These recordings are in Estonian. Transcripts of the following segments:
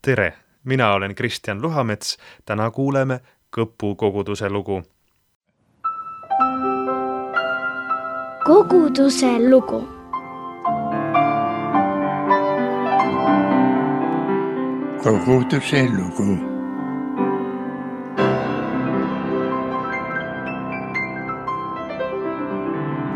Tere! Mina olen Kristjan Luhamets. Täna kuuleme Kõpu koguduse lugu. Koguduse lugu. Koguduse lugu.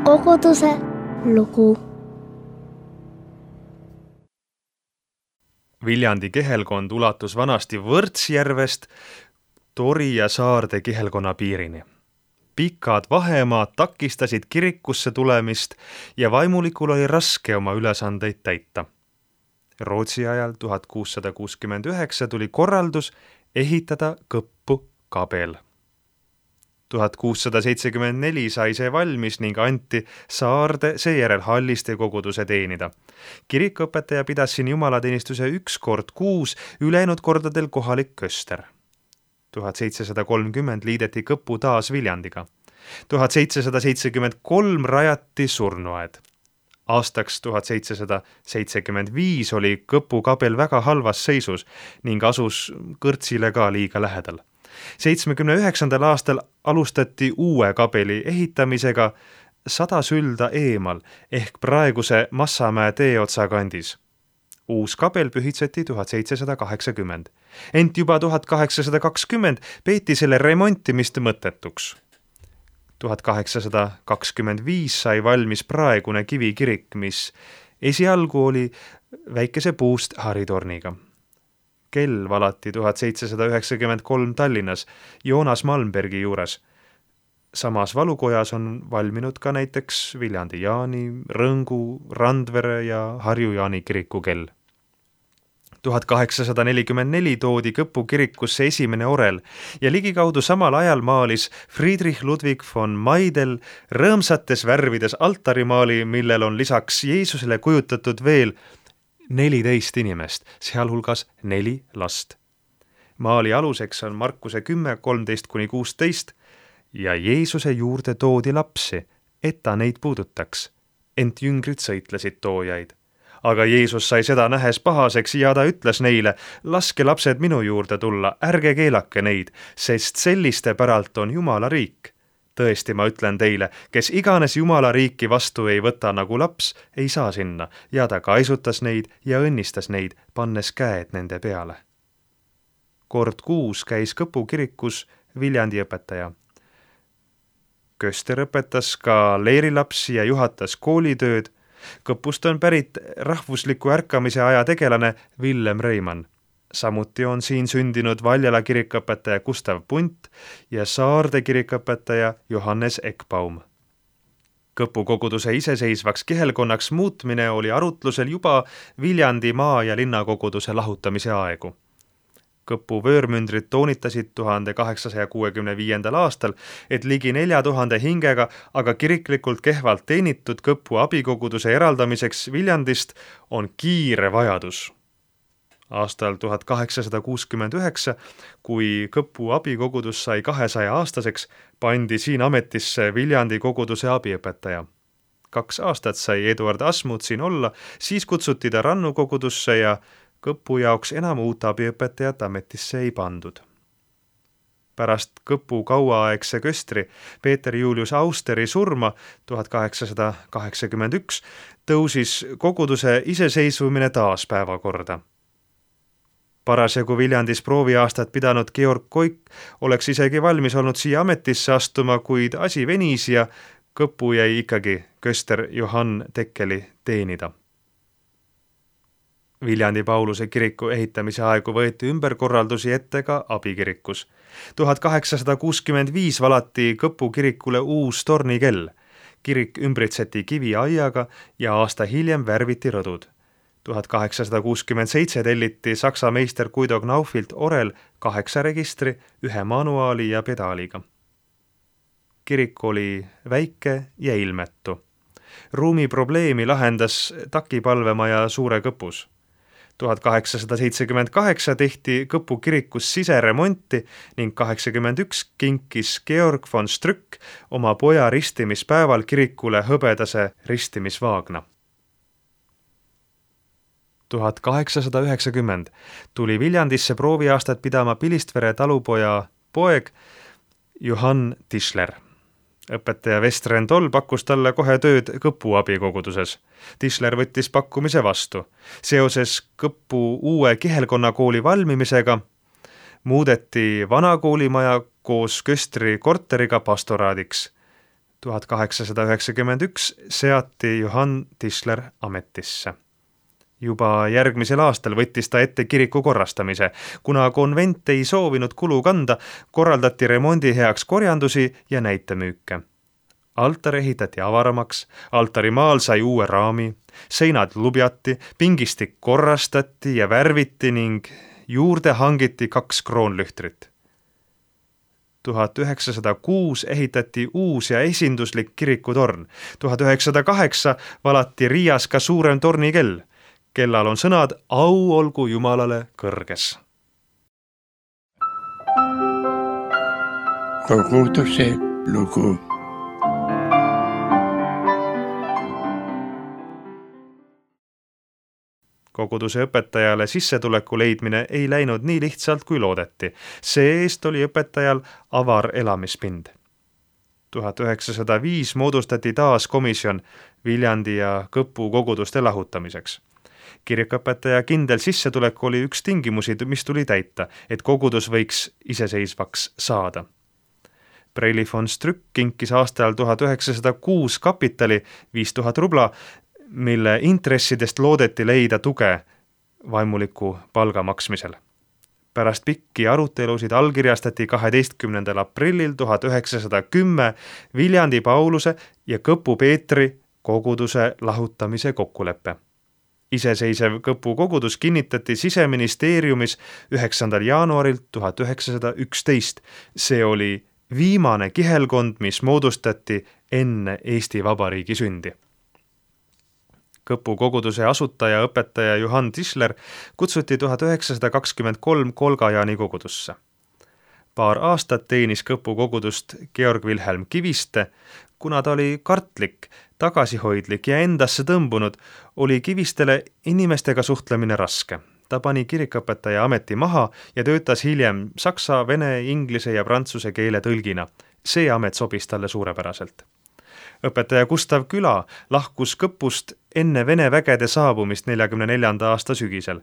Koguduse lugu. Viljandi kihelkond ulatus vanasti Võrtsjärvest Tori ja Saarde kihelkonna piirini. Pikad vahemaad takistasid kirikusse tulemist ja vaimulikul oli raske oma ülesandeid täita. Rootsi ajal 1669 tuli korraldus ehitada Kõppu kabel. 1674 sai see valmis ning anti Saarde seejärel Halliste koguduse teenida. Kirikuõpetaja pidas siin jumalateenistuse 1 kord kuus, ülejäänud kordadel kohalik köster. 1730 liideti Kõpu taas Viljandiga. 1773 rajati surnuaed. Aastaks 1775 oli Kõpu kabel väga halvas seisus ning asus kõrtsile ka liiga lähedal. 79. aastal alustati uue kabeli ehitamisega 100 sülda eemal ehk praeguse Massamäe teeotsa kandis. Uus kabel pühitseti 1780. Ent juba 1820 peeti selle remontimist mõttetuks. 1825 sai valmis praegune kivikirik, mis esialgu oli väikese puust haritorniga. Kell valati 1793 Tallinnas Joonas Malmbergi juures. Samas valukojas on valminud ka näiteks Viljandi Jaani, Rõngu, Randvere ja Harju Jaani kiriku kell. 1844 toodi Kõpu kirikusse esimene orel ja ligikaudu samal ajal maalis Friedrich Ludwig von Maidel rõõmsates värvides altarimaali, millel on lisaks Jeesusele kujutatud veel 14 inimest, sealhulgas 4 last. Maali aluseks on Markuse 10:13-16 ja Jeesuse juurde toodi lapsi, et ta neid puudutaks, ent jüngrid sõitlesid toojaid. Aga Jeesus sai seda nähes pahaseks ja ta ütles neile, laske lapsed minu juurde tulla, ärge keelake neid, sest selliste päralt on Jumala riik. Tõesti, ma ütlen teile, kes iganes Jumala riiki vastu ei võta nagu laps, ei saa sinna, ja ta kaisutas neid ja õnnistas neid, pannes käed nende peale. Kord kuus käis Kõpu kirikus Viljandi õpetaja. Köster õpetas ka leirilapsi ja juhatas koolitööd. Kõpust on pärit rahvusliku ärkamise aja tegelane Villem Reimann. Samuti on siin sündinud Valjala kirikõpetaja Gustav Punt ja Saarde kirikõpetaja Johannes Ekbaum. Kõpu koguduse iseseisvaks kihelkonnaks muutmine oli arutlusel juba Viljandi maa- ja linnakoguduse lahutamise aegu. Kõpu vöörmündrid toonitasid 1865. aastal, et ligi 4000 hingega, aga kiriklikult kehvalt teenitud Kõpu abikoguduse eraldamiseks Viljandist on kiire vajadus. Aastal 1869, kui Kõpu abikogudus sai 200-aastaseks, pandi siin ametisse Viljandi koguduse abiõpetaja. 2 aastat sai Eduard Asmut siin olla, siis kutsuti ta Rannu kogudusse ja Kõpu jaoks enam uut abiõpetajat ametisse ei pandud. Pärast Kõpu kauaaegse köstri Peeter Julius Austeri surma 1881 tõusis koguduse iseseisvumine taas päevakorda. Parasjagu Viljandis prooviaastat pidanud Georg Koik oleks isegi valmis olnud siia ametisse astuma, kuid asi venis ja Kõpu jäi ikkagi köster Johann Tekkeli teenida. Viljandi Pauluse kiriku ehitamise aegu võeti ümberkorraldusi ette ka abikirikus. 1865 valati Kõpu kirikule uus tornikell. Kirik ümbritseti kiviaiaga ja aasta hiljem värviti rõdud. 1867 telliti saksa meister Guido Knaufilt orel 8 registri, 1 manuaali ja pedaaliga. Kirik oli väike ja ilmetu. Ruumi probleemi lahendas takipalvemaja Suure Kõpus. 1878 tehti Kõpu kirikus siseremonti ning 81 kinkis Georg von Strück oma poja ristimispäeval kirikule hõbedase ristimisvaagna. 1890 tuli Viljandisse prooviaastat pidama Pilistvere talupoja poeg Johann Tischler. Õpetaja Vestren Toll pakkus talle kohe tööd Kõpu abikoguduses. Tischler võttis pakkumise vastu. Seoses Kõpu uue kihelkonnakooli valmimisega muudeti vana koolimaja koos Köstri korteriga pastoraadiks. 1891 seati Johann Tischler ametisse. Juba järgmisel aastal võttis ta ette kiriku korrastamise. Kuna konvent ei soovinud kulu kanda, korraldati remondi heaks korjandusi ja näitemüüke. Altar ehitati avaramaks, altarimaal sai uue raami, seinad lubjati, pingistik korrastati ja värviti ning juurde hangiti 2 kroonlühtrit. 1906 ehitati uus ja esinduslik kirikutorn. 1908 valati Riias ka suurem tornikell. Kellal on sõnad au olgu Jumalale kõrges. Koguduse lugu. Koguduse õpetajale sissetuleku leidmine ei läinud nii lihtsalt kui loodeti. See-eest oli õpetajal avar elamispind. 1905 moodustati taas komisjon Viljandi ja Kõpu koguduste lahutamiseks. Kirikuõpetaja kindel sissetulek oli üks tingimusi, mis tuli täita, et kogudus võiks iseseisvaks saada. Preili von Strück kinkis aastal 1906 kapitali 5000 rubla, mille intressidest loodeti leida tuge vaimuliku palga maksmisel. Pärast pikki arutelusid allkirjastati 12. aprillil 1910 Viljandi Pauluse ja Kõpu Peetri koguduse lahutamise kokkulepe. Iseseisev Kõpu kogudus kinnitati Siseministeeriumis 9. jaanuaril 1911. See oli viimane kihelkond, mis moodustati enne Eesti Vabariigi sündi. Kõpu koguduse asutaja õpetaja Johann Tischler kutsuti 1923 Kolgajaani kogudusse. Paar aastat teenis Kõpu kogudust Georg Wilhelm Kiviste. Kuna ta oli kartlik, tagasihoidlik ja endasse tõmbunud, oli Kivistele inimestega suhtlemine raske. Ta pani kirikuõpetaja ameti maha ja töötas hiljem saksa, vene, inglise ja prantsuse keele tõlgina. See amet sobis talle suurepäraselt. Õpetaja Gustav Küla lahkus Kõpust enne Vene vägede saabumist 1944. aasta sügisel.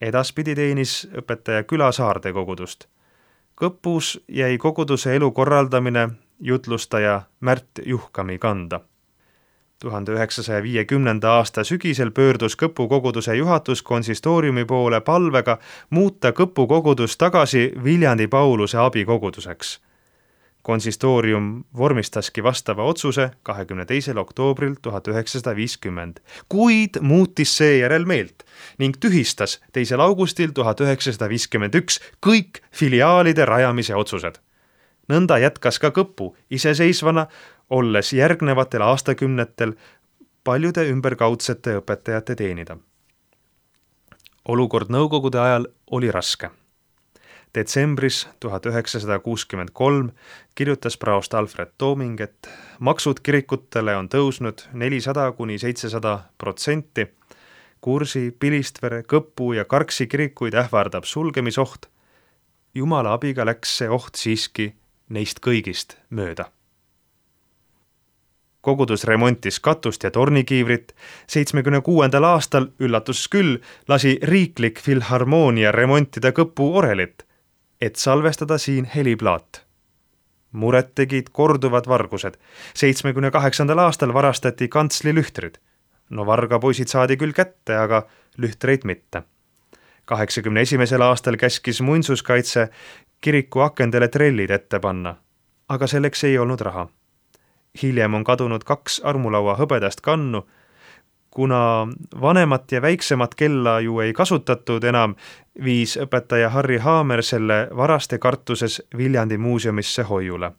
Edaspidi teenis õpetaja Küla Saarde kogudust. Kõpus jäi koguduse elu korraldamine jutlustaja Märt Juhkami kanda. 1950. aasta sügisel pöördus Kõpu koguduse juhatus konsistooriumi poole palvega muuta Kõpu kogudus tagasi Viljandi Pauluse abikoguduseks. Konsistoorium vormistaski vastava otsuse 22. oktoobril 1950, kuid muutis seejärel meelt ning tühistas 2. augustil 1951 kõik filiaalide rajamise otsused. Nõnda jätkas ka Kõpu iseseisvana, olles järgnevatel aastakümnetel paljude ümberkaudsete õpetajate teenida. Olukord nõukogude ajal oli raske. Detsembris 1963 kirjutas praost Alfred Tooming, et maksud kirikutele on tõusnud 400–700%, Kursi, Pilistvere, Kõpu ja Karksi kirikuid ähvardab sulgemisoht. Jumala abiga läks see oht siiski neist kõigist mööda. Kogudus remontis katust ja tornikiivrit. 76. aastal, üllatus küll, lasi riiklik filharmoonia remontida Kõpu orelit, et salvestada siin heliplaat. Muret tegid korduvad vargused. 78. aastal varastati kantsli lühtrid. No vargapoisid saadi küll kätte, aga lühtreid mitte. 81. aastal käskis muinsuskaitse kiriku akendele trellid ette panna, aga selleks ei olnud raha. Hiljem on kadunud 2 armulaua hõbedast kannu. Kuna vanemat ja väiksemat kella ju ei kasutatud enam, viis õpetaja Harri Haamer selle varaste kartuses Viljandi muuseumisse hoiule.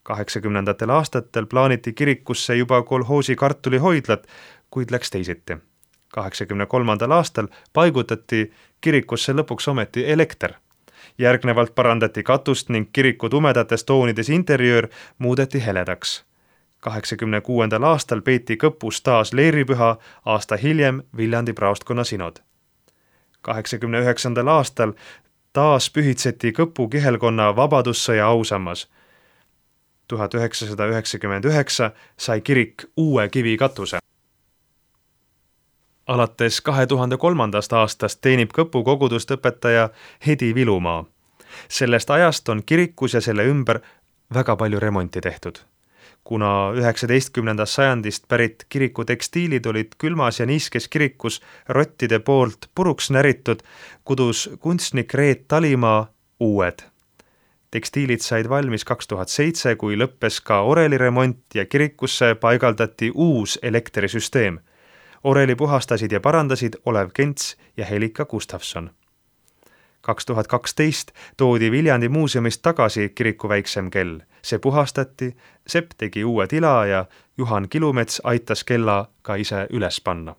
80. aastatel plaaniti kirikusse juba kolhoosi kartulihoidlat, kuid läks teisiti. 83. aastal paigutati kirikusse lõpuks ometi elekter. Järgnevalt parandati katust ning kiriku tumedates toonides interjöör muudeti heledaks. 86. aastal peeti Kõpus taas leeripüha, aasta hiljem Viljandi praostkonna sinod. 1989. aastal taas pühitseti Kõpu kihelkonna vabadussõja ausammas. 1999 sai kirik uue kivikatuse. Alates 2003. aastast teenib Kõpu kogudust õpetaja Hedi Vilumaa. Sellest ajast on kirikus ja selle ümber väga palju remonti tehtud. Kuna 19. sajandist pärit kiriku tekstiilid olid külmas ja niiskes kirikus rottide poolt puruks näritud, kudus kunstnik Reet Talimaa uued. Tekstiilid said valmis 2007, kui lõppes ka oreliremont ja kirikusse paigaldati uus elektrisüsteem. Oreli puhastasid ja parandasid Olev Kents ja Helika Gustafson. 2012 toodi Viljandi muuseumist tagasi kiriku väiksem kell. See puhastati, Sepp tegi uue tila ja Juhan Kilumets aitas kella ka ise üles panna.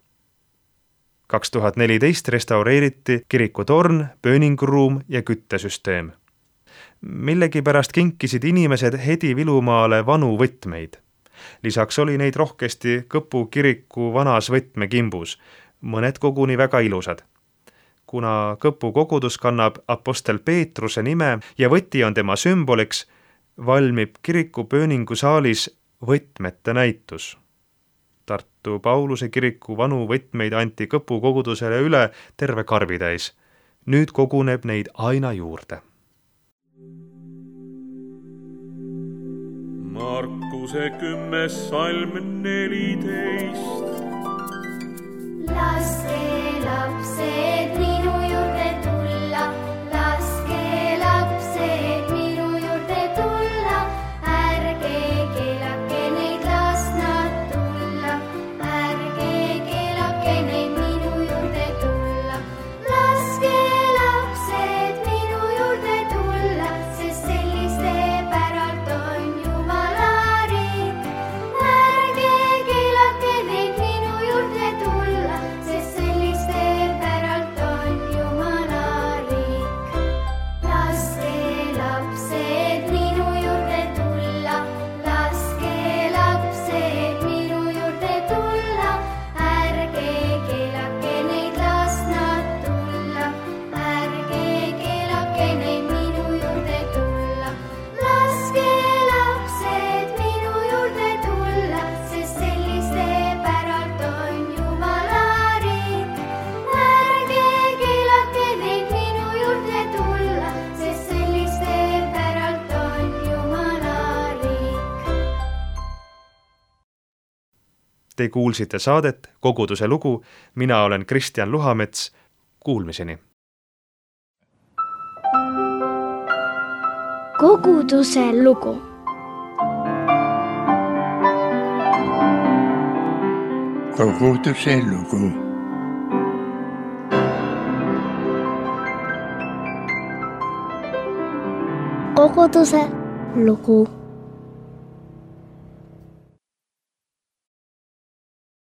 2014 restaureeriti kiriku torn, pööninguruum ja küttesüsteem. Millegipärast kinkisid inimesed Hedi Vilumaale vanu võtmeid. Lisaks oli neid rohkesti Kõpu kiriku vanas võtmekimbus, mõned koguni väga ilusad. Kuna Kõpu kogudus kannab apostel Peetruse nime ja võti on tema sümboliks, valmib kiriku pööningusaalis võtmete näitus. Tartu Pauluse kiriku vanu võtmeid anti Kõpu kogudusele üle terve karbitäis. Nüüd koguneb neid aina juurde. Markuse 10. salm 14. Laske lapsed minu juurde tulla, laske lapsed minu juurde tulla, ärge keelake neid, las nad tulla, ärge keelake neid minu juurde tulla. Laske lapsed minu juurde tulla, sest selliste päralt on Jumala riik. Ärge keelake neid minu juurde tulla, sest selliste päralt on Jumala riik. Laske lapsed minu juurde tulla, laske lapsed minu juurde tulla, ärge keelake neid, las nad tulla, ärge keelake neid minu juurde tulla. Laske lapsed minu juurde tulla, sest selliste päralt on Jumala riik. Ärge keelake neid minu juurde tulla, sest selliste päralt on Jumala riik. Te kuulsite saadet Koguduse lugu, mina olen Kristjan Luhamets, kuulmiseni. Koguduse lugu. Koguduse lugu. Koguduse lugu.